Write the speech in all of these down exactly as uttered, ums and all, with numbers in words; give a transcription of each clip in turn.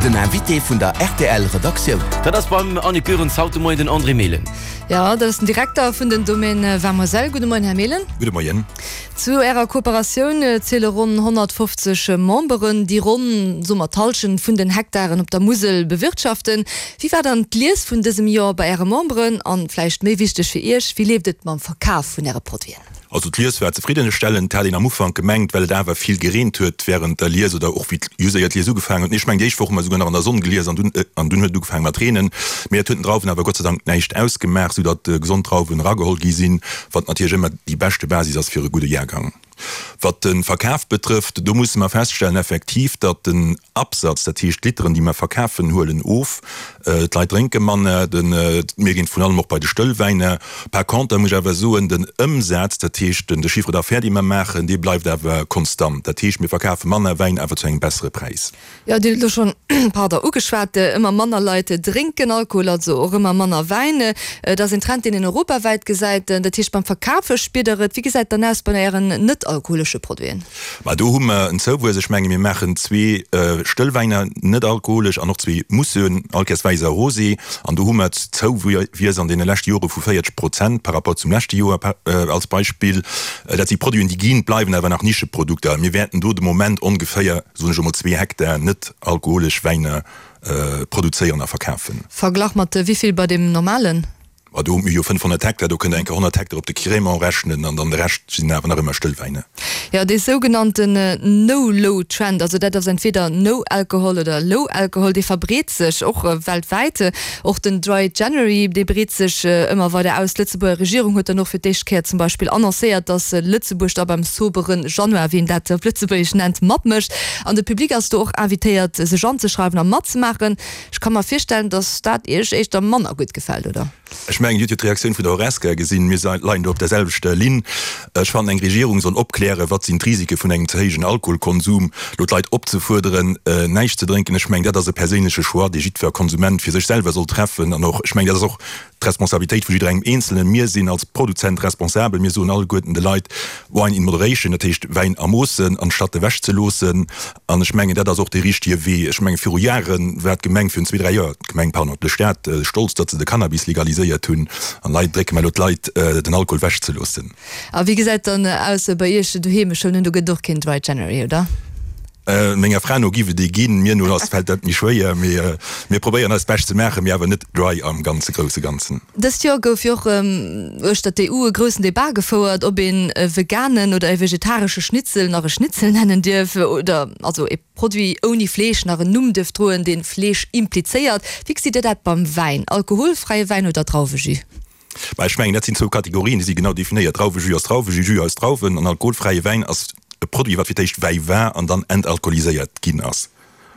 Den Invité vun der R T L Redaktioun. Dat ass beim Annick Goerens haut de Moien den André Mehlen. Jo, dat ass den Direkter vun den Domaine Vin Moselle. Gudde Moien, Här Mehlen. Gudde Moien. Zu Ärer Kooperatioun ziele ronn honnertfofzeg Memberen, déi ronn, soe mer, d'Hallschent vun den Hektaren op der Musel bewirtschaften. Wéi war dann d'Lies vun dësem Joer bei Äre Memberen? An, vläicht méi wichteg fir Iech, wéi leeft et mam Verkaf vun Äre Produiten? Also d'Lies war zefriddenstellend, hat een am Ufank gemengt, well et awer vill gereent huet wärend der Lies oder och wéi just éier d'Lies ugefaangen huet. Nee, ech mengen déi éischt Woch hu mer souguer nach an der Sonn gelies an dunn an dunn huet et ugefaange mat reenen. Mee et huet den Drauwen awer Gott sei Dank näischt ausgemaach, soudatt gesond Drauwen erageholl gi sinn, wat natierlech ëmmer déi beschte Basis ass fir e gudde Jahrgang. Wat de Verkaf betrëfft, do musse mer feststellen effektiv, datt den Absatz, dat heescht d'Literen, déi mer verkafen, huelen of. D'Leit drénke manner, de mir ginn vrun allem och bei de Stëllwäiner. Par conter muss ech awer soen, den Ëmsaz, dat heescht de Chiffre d'affaires, dee mer maachen, dee bleift awer konstant. Dat heescht, mir verkafe manner Wäin, awer zu engem bessere Präis. Jo, Dir hutt elo schonn, pardon, ugeschwat, ëmmer manner Leit drénken Alkohol, also och ëmmer manner Wäin. Et ass een Trend, deen een europawäit gesäit. Dat heescht, beim Verkafe spiert Der et. Wéi gesäit et dann aus bei Ären net-alkoholesche Produiten? Ma do hu mer en Zouwuess. Ech menge mir maachen zwee Stëllwäiner, net-alkoholesch, an och zwee Mousseuxen, allkéiers Wäiss a Rosé. An do hu mer Zouwiess an deene leschte Jore vu véierzeg Prozent par rapport zum leschte Joer als Beispill. Dat si Produiten, déi ginn, bleiwen awer nach Nischeprodukter. Mir wäerten do de Moment ongeféier, soen ech emol, zwee Hektar net-alkoholesch Wäiner produzéieren a verkafen. Verglach mat wéi vill bei deem normalen? Ma do hu mir jo fënnfhonnert Hektar, do kënnt Der eng Kéier honnert Hektar op de Crémant rechnen an dann de Rescht sinn awer nach ëmmer Stëllwäiner. Jo, dee sougenannten No-Low-Trend, also dat ass entweder No Alcohol oder Low Alcohol, dee verbreet sech och weltwäit. Och den Dry January, dee breet sech ëmmer weider aus. D'Lëtzebuerger Regierung huet dann och fir d'éischt Kéier zum Beispill annoncéiert, datt Lëtzebuerg da beim sobere Januar, wéi een dat op Lëtzebuergesch nennt, matmécht. An de Public ass do och invitéiert, sech anzeschreiwen a matzemaachen. Ech ka mer virstellen, datt dat Iech éischter manner gutt gefält, oder? Ech mengen, Dir hutt jo d'Reaktioun vun der Horesca gesinn. Mir leien do op der selwechter Linn. Ech fannen, eng Regierung soll opklären, wat sinn d'Risike vun engem ze héijen Alkoholkonsum. Elo d'Leit opzefuerderen, näischt ze drénken, ech mengen, dat ass e perséinleche Choix, dee jiddwer Konsument fir sech selwer soll treffen. An och, ech mengen, dat ass och d'Responsabilitéit vu jidderengem Eenzelnen. Mir sinn als Produzent responsabel. Mir soen alleguerten de Leit, Wine in moderation, dat heescht Wäin a Moossen, anstatt ewech ze loossen. An ech mengen, dat ass och dee richtige Wee. Ech menge viru Jahre war d'Gemeng, virun zwee, dräi Joer, d'Gemeng, pardon, de Staat stolz, datt se de Cannabis legaliséiert hunn. An hei drécke mer elo d'Leit, den Alkohol ewech ze loossen. A wéi gesäit dann aus bei Iech doheem? Ech huelen un, do gëtt et och keen Dry January, oder? Menger Fra no giff et ee ginn, mir no ass fält dat méi schwéier, mee mir probéieren eist Bescht ze maachen, mee awer net dry am ganze grousse Ganzen. Dëst Joer gouf jo och uechter d'E U e groussen Debat gefouert, ob een e veganen oder e vegetaresche Schnitzel nach e Schnitzel nennen dierf oder also e Produit ouni Fleesch nach en Numm dierf droen, dee Fleesch implizéiert. Wéi gesitt Dir dat beim Wäin? Alkoholfräie Wäin oder Drauwejus? Bah, ech mengen, dat sinn zwou Kategorien, déi si genau definéiert. Drauwejus ass Drauwejus, Jus aus Drauwen, an alkoholfräie Wäin ass e Produit, wat fir d'éischt Wäi war an dann entalkoholiséiert ginn ass.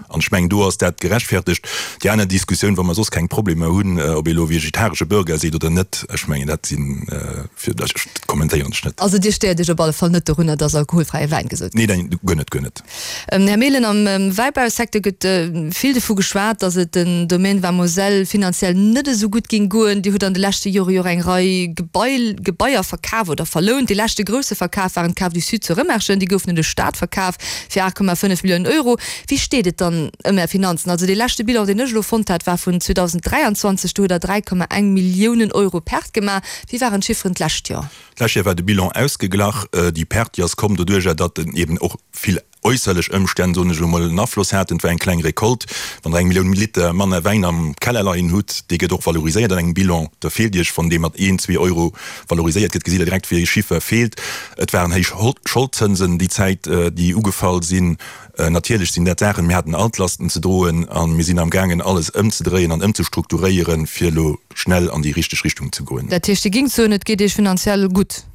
An ech mengen, do ass dat gerechtfertegt. Déi aner Diskussioun, wa mer soss keng Problemer hunn, ob ee elo vegetaresche Burger seet oder net, ech mengen, dat sinn, fir, dat kommentéieren ech net. Also Dir stéiert Iech op alle Fall net dorunner, dass alkoholfräie Wäin gesot gëtt? Nee, neen, guer net, guer net. Här Mehlen, am Wäibausecteur gëtt vill dovu geschwat, dass et den Domaine Vin Moselle finanziell net esou gutt géing goen. Dir hutt an de leschte Jore jo och eng Rei Gebai, Gebaier verkaf oder verlount. Dee leschte grousse Verkaf waren d'Caves du Sud zu Rëmerschen. Déi goufen un de Staat verkaf fir aacht Komma fënnef Milliounen Euro. Wéi steet et dann ëm Är Finanzen? Also dee leschte Bilan, deen ech elo fonnt hat, war vun zweedausendräianzwanzeg. Do hutt Der dräi Komma eng Milliounen Euro Perte gemaach. Wéi waren d'Chifferen d'lescht Joer? D'lescht Joer war de Bilan ausgeglach. Déi Perte, déi ass komm doduerjer, datt eben och vill äusserlech Ëmstänn, soen ech elo mol, en Afloss haten. Et war eng kleng Recolte. Wann Der eng Millioun Liter manner Wäin am Keller leien hutt, dee gëtt och valoriséiert an engem Bilan, da feelt Iech, wann dee mat een, zwee Euro valoriséiert gëtt, gesitt Der direkt, wéi ee Chiffer feelt. Et waren héich Scholdzënsen déi Zäit, déi ugefall sinn. Natierlech sinn dat Saachen, mir haten Altlasten ze droen a mir sinn amgaangen, alles ëmzedréien an ëmzestrukturéieren, fir elo schnell an déi richteg Richtung ze goen. Dat heescht, Dir gingt soen, et geet Iech finanziell gutt?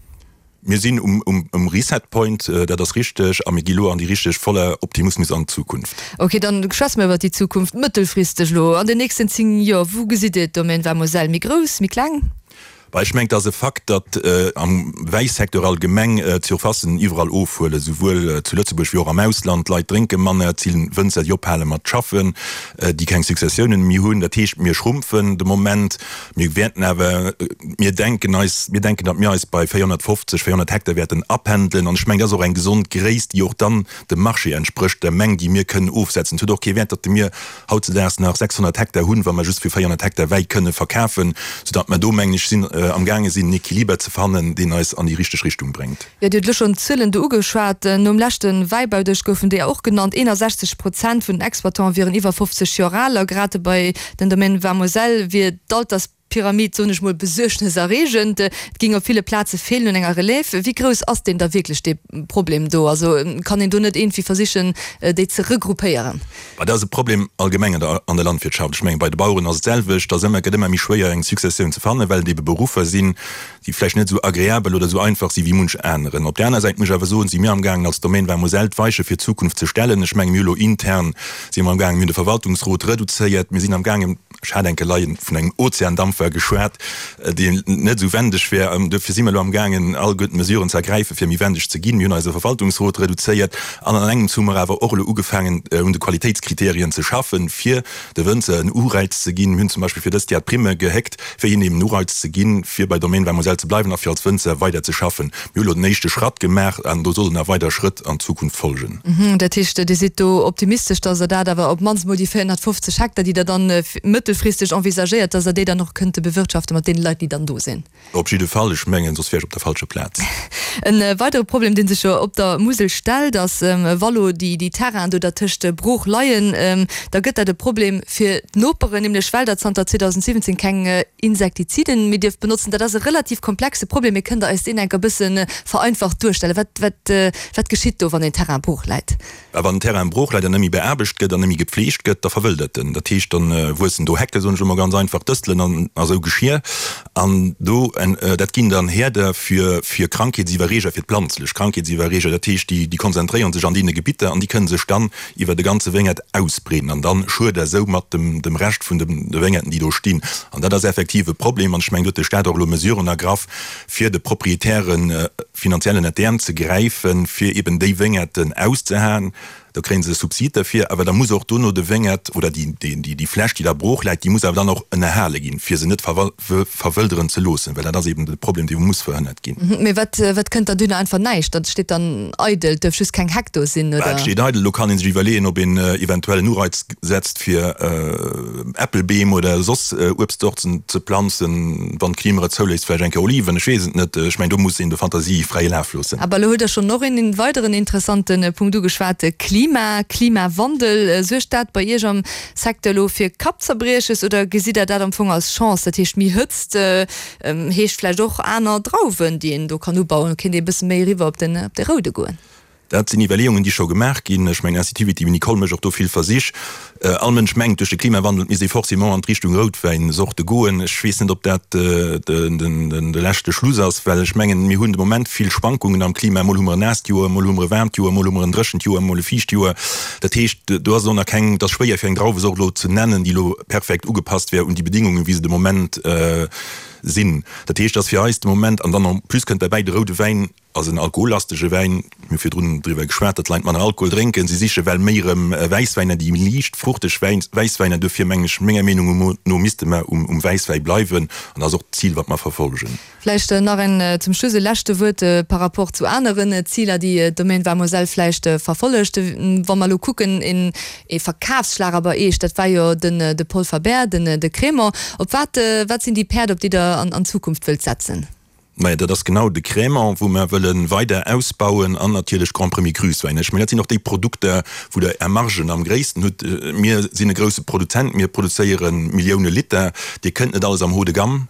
Mir sinn um Reset Point, dat ass richteg, a mir gi lo an déi richteg voller Optimismus an d'Zukunft. Ok, dann schwätze mer iwwer déi Zukunft. Mëttelfristeg elo, an den nächsten zéng Joer, wou gesitt Dir d'Domaine Vin Moselle? Méi grouss, méi kleng? Bah, ech mengen, et ass e Fakt, datt am Wäisecteur allgemeng d'Surfacen iwwerall ofhuelen, souwuel zu Lëtzebuerg wéi och am Ausland. D'Leit drénke manner, et si Wënzer, déi ophale mat schaffen, déi keng Successiounen méi hunn. Dat heescht, mir schrumpfen de Moment. Mir wäerten awer, mir denken eis, mir denken, datt mir eis bei véierhonnertfofzeg, véierhonnert Hektar wäerten apendelen. An ech mengen, dat ass och eng gesond Gréisst, déi och dann dem Marché entsprécht, der Meng, déi mir kënnen ofsetzen. Et huet och kee Wäert, datt mir hautzedaags nach sechshonnert Hektar hunn, wa mer just fir véierhonnert Hektar Wäi kënne verkafen, soudatt mer do, mengen ech, sinn, amgaange sinn, en Equiliber ze fannen, deen eis an déi richteg Richtung bréngt. Jo, Dir hutt elo schonn d'Zuelen do ugeschwat. Nom leschte Wäibaudësch goufen déi och genannt, eenasechzeg Prozent vun den Exploitanten wieren iwwer fofzeg Joer al a grad bei den Domaine Vin-Moselle wier d'Alterspyramid, soen ech mol, besuergneserreegend. Et géing op ville Plaze feelen un enger Relève. Wéi grouss ass deen da wierklech, dee Problem do? Also kann een do net iergendwéi versichen, déi ze regroupéieren? Bah, dat ass e Problem allgemeng an der, an der Landwirtschaft. Ech mengen, bei de Baueren ass et d'selwecht. Et ass ëmmer, gëtt ëmmer méi schwéier, eng Successioun ze fannen, well et ebe Beruffer sinn, déi vläicht net esou agreabel oder esou einfach si wéi munch aneren. Op där aner Säit muss ech awer soen, si mir amgaangen als Domaine Vin Moselle d'Weiche fir d'Zukunft ze stellen. Ech mengen, mir hu lo intern si mer amgaangen, mir hunn de Verwaltungsrot reduzéiert, mir sinn amgaangen, ech hat eng Kéier vun engem Ozeandampfer geschwat, deen net esou wendeg wär. Duerfir si mer elo amgaangen, alleguerten d'Mesuren ze ergräifen, fir méi wendeg ze ginn. Mir hunn eise Verwaltungsrot reduzéiert an an engems hu mer awer och elo ugefaangen, un de Qualitéitskriterien ze schaffen, fir de Wënzer en Ureiz ze ginn. Mir hunn zum Beispill fir dëst Jar d'Primme gehéckt, fir hinnen eben en Ureiz ze ginn, fir bei Domaine Vin Moselle ze bleiwen a fir als Wënzer weider ze schaffen. Mir hu elo den éischte Schratt gemaach an do sollen nach weider Schrëtt an Zukunft folgen. Dat heescht, Dir sidd do optimistesch, datt Der dat awer op d'mannst emol déi véierhonnertfofzeg Hektar, déi Der dann mëttelfristeg envisagéiert, datt Der déi dann och kënnte bewirtschaften mat deene Leit, déi dann do sinn? Op jidde Fall. Ech mengen, soss wär ech op der falscher Plaz. E weidere Problem, dee sech jo op der Musel stellt, ass, wa lo déi Terrainen do dertëscht brooch leien, da gëtt dat e Problem fir d'Noperen, nämlech well der zanter zweedausendsiwwenzéng keng Insektiziden méi dierft benotzen. Dat ass e relativ komplexe Problem, mee kënnt Der eis deen enker e bësse vereinfacht duerstellen? Wat, wat, wat geschitt do, wann een Terrain brooch läit? A wann en Terrain brooch läit an net méi beaarbecht gëtt an net méi gepfleegt gëtt, da verwëldert en. Dat heescht, dann wuessen do Hecken, soen ech elo mol ganz einfach, Dëstelen an a sou Geschier. An do, dat ginn dann Häerder fir, fir Krankheetsiwwerreeger, fir d'planzlech Krankheetsiwwerreeger. Dat heescht, déi, déi konzentréiere sech an deene Gebitter an déi kënne sech dann iwwer de ganze Wéngert ausbreeden an dann schued der sou mat dem, dem Rescht vun de, de Wéngerten, déi do stinn. An dat ass effektiv e Problem. An ech mengen, do huet de Staat och elo Mesuren ergraff, fir de Proprietären finanziell ënnert d'Äerm ze gräifen, fir eben déi Wéngerten auszehaen. Da kréie se e Subsid derfir, awer da muss och dono de Wéngert oder déi Fläch, déi da brooch läit, déi muss awer dann och ënnerhale ginn, fir se net verwëlderen ze loossen, well dat ass eben de Problem, dee muss verhënnert ginn. Mee wat kënnt dann duerno? Einfach näischt? Dat steet dann eidel, et duerf just keng Heck do sinn, oder? Et steet eidel. Elo kann ee sech iwwerleeën, ob een eventuell en Ureiz setzt, fir Äppelbeem oder soss Uebstzorten ze planzen, wann d'Klima et zouléisst, vläicht eng Kéier Oliven, ech weess et net. Ech mengen, do muss een der Fantasie fräie Laf loossen. Awer elo hutt Der schonn och een weideren interessante Punkt ugeschwat, Klima, Klimawandel. Suergt dat bei Iech am Secteur elo fir Kappzerbrieches oder gesitt Der dat am Fong als Chance? Dat heescht, méi Hëtzt heescht vläicht och aner Drauwen, déi een do kann ubauen, kéint ee e bësse méi eriwwer op den, op de Roude goen? Dat sinn Iwwerleeungen, déi scho gemaach ginn. Ech mengen, Institut Viti-Vinicole mécht och do vill Versich. All Mënsch mengt, duerch de Klimawandel misst ee forcément an d'Richtung Routwäinsorte goen. Ech weess net, ob dat de leschte Schluss ass, well ech mengen, mir hunn de Moment vill Schwankungen am Klima. Mol hu mer en naasst Joer, mol hu mer e waarmt Joer, mol hu mer en dréchent Joer, mol e fiicht Joer. Dat heescht, do ass et och nach keng, et ass schwéier fir eng Drauwesort elo ze nennen, déi elo perfekt ugepasst wär un déi Bedingungen, wéi se de Moment sinn. Dat heescht, et ass fir eis de Moment, an dann en plus kënnt derbäi, de roude Wäin ass en alkohollastege Wäin, mir hu virdrun driwwer geschwat, datt d'Leit manner Alkohol drénken, si siche well méi erëm Wäisswäiner, déi méi liicht fruchteg Wäisswäiner. Duerfir mengen ech, menger Meenung no misste mer um Wäisswäi bleiwen an dat ass och d'Zil, wat mer verfolgen. Vläicht nach en zum Schluss e leschte Wuert par rapport zu aneren Ziler, déi d'Domaine Vin Moselle vläicht verfollegt. Wa mer elo kucken, een ee Verkafsschlager bei Eech, dat war jo den de Paul Faber, den de Crémant. Op wat wat sinn déi Päerd, op déi Der an an Zukunft wëllt setzen? Majo, dat ass genau de Crémant, wou mer wëlle weider ausbauen an natierlech Grand Premier Crus Wäin. Ech mengen, dat sinn och déi Produkter, wou Der Är Margen am gréissten hutt. Mir sinn e grousse Produzent, mir produzéiere Millioune Liter. Dir kënnt net alles am Haut de gamme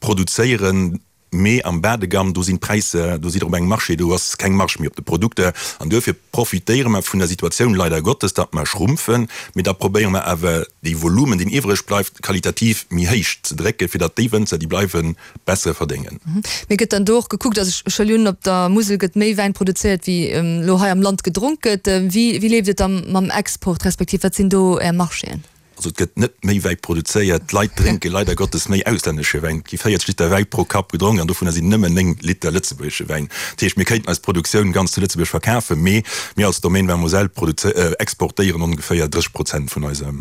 produzéieren. Mee am Bas de gamme, do sinn d'Präisser, do sidd Der op engem Marché, do ass keng Marge méi op de Produkter. An duerfir profitéiere mer vun der Situatioun, leider Gottes, datt mer schrumpfen. Mee da probéiere mer awer, dee Volumen, deen iwwreg bleift, qualitativ méi héich ze drécken, fir datt déi Wënzer, déi bleiwen, besser verdéngen. Mee gëtt dann do och gekuckt, also ech huelen un, op der Musel gëtt méi Wäin produzéiert, wéi elo hei am Land gedronk gëtt. Wéi, wéi leeft et da mam Export, respektiv wat sinn do Är Marchéen? Also et gëtt net méi Wäi produzéiert. D'Leit drénke leider Gottes méi auslännesche Wäin. Et gi véierzeg Liter Wäi pro Kapp gedronk an dovunner sinn nëmmen néng Liter lëtzebuergesche Wäin. Dat heescht, mir kéinten eis Produktioun ganz zu Lëtzebuerg verkafen, mee mir als Domaine Vin Moselle exportéieren ongeféier drësseg Prozent vun eiser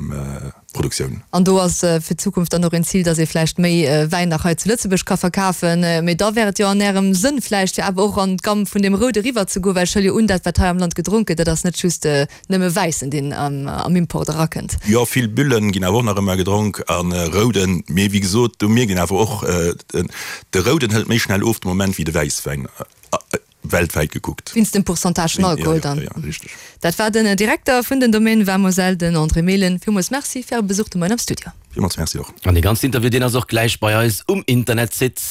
Produktioun. An do ass fir d'Zukunft dann och een Zil, dass ee vläicht méi Wäin nach hei zu Lëtzebuerg ka verkafen. Mee da wär et jo an Ärem Sënn vläicht, fir awer och an d'Gamm vun deem Roude eriwwer ze goen, well ech huele jo un, dat wat hei am Land gedronk gëtt, dat ass net just nëmme Wäissen, deen am Import erakënnt. Jo, vill Bullen ginn awer och nach ëmmer gedronk a Rouden. Mee wéi gesot, do mierkt een awer och, de Rouden hëlt méi schnell of de Moment wéi de Wäisswäin. Weltwäit gekuckt. Wéinst dem Pourcentage vun Alkohol dann. Jo, jo, richteg. Dat war den Direkter vun den Domaines Vin Moselle, den André Mehlen. Villmools Merci fir Äre Besuch de Moien am Studio. Villmools Merci och. An dee ganzen Interview, deen ass och gläich bei eis um Internetsite.